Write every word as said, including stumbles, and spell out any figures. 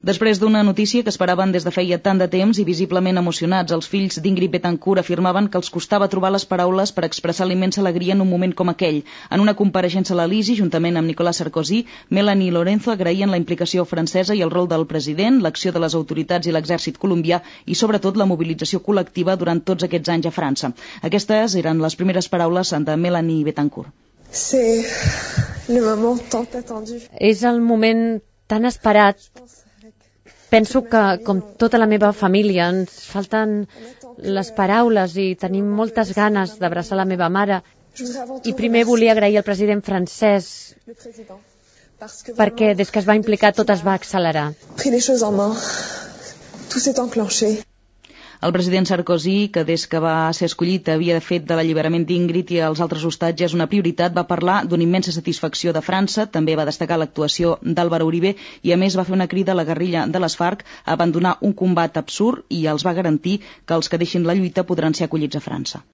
Després d'una notícia que esperaven des de feia tant de temps i visiblement emocionats, els fills d'Ingrid Betancourt afirmaven que els costava trobar les paraules per expressar la immensa alegria en un moment com aquell. En una compareixença a l'Elisi, juntament amb Nicolas Sarkozy, Melanie i Lorenzo agraïen la implicació francesa i el rol del president, l'acció de les autoritats i l'exèrcit colombià i, sobretot, la mobilització col·lectiva durant tots aquests anys a França. Aquestes eren les primeres paraules de Melanie Betancourt. És el moment tan esperat. Penso que, com tota la meva família, ens falten les paraules i tenim moltes ganes d'abraçar la meva mare. I primer volia agrair al president francès perquè des que es va implicar tot es va accelerar. El president Sarkozy, que des que va ser escollit havia fet de l'alliberament d'Ingrid i els altres hostatges una prioritat, va parlar d'una immensa satisfacció de França, també va destacar l'actuació d'Álvaro Uribe i a més va fer una crida a la guerrilla de les FARC a abandonar un combat absurd i els va garantir que els que deixin la lluita podran ser acollits a França.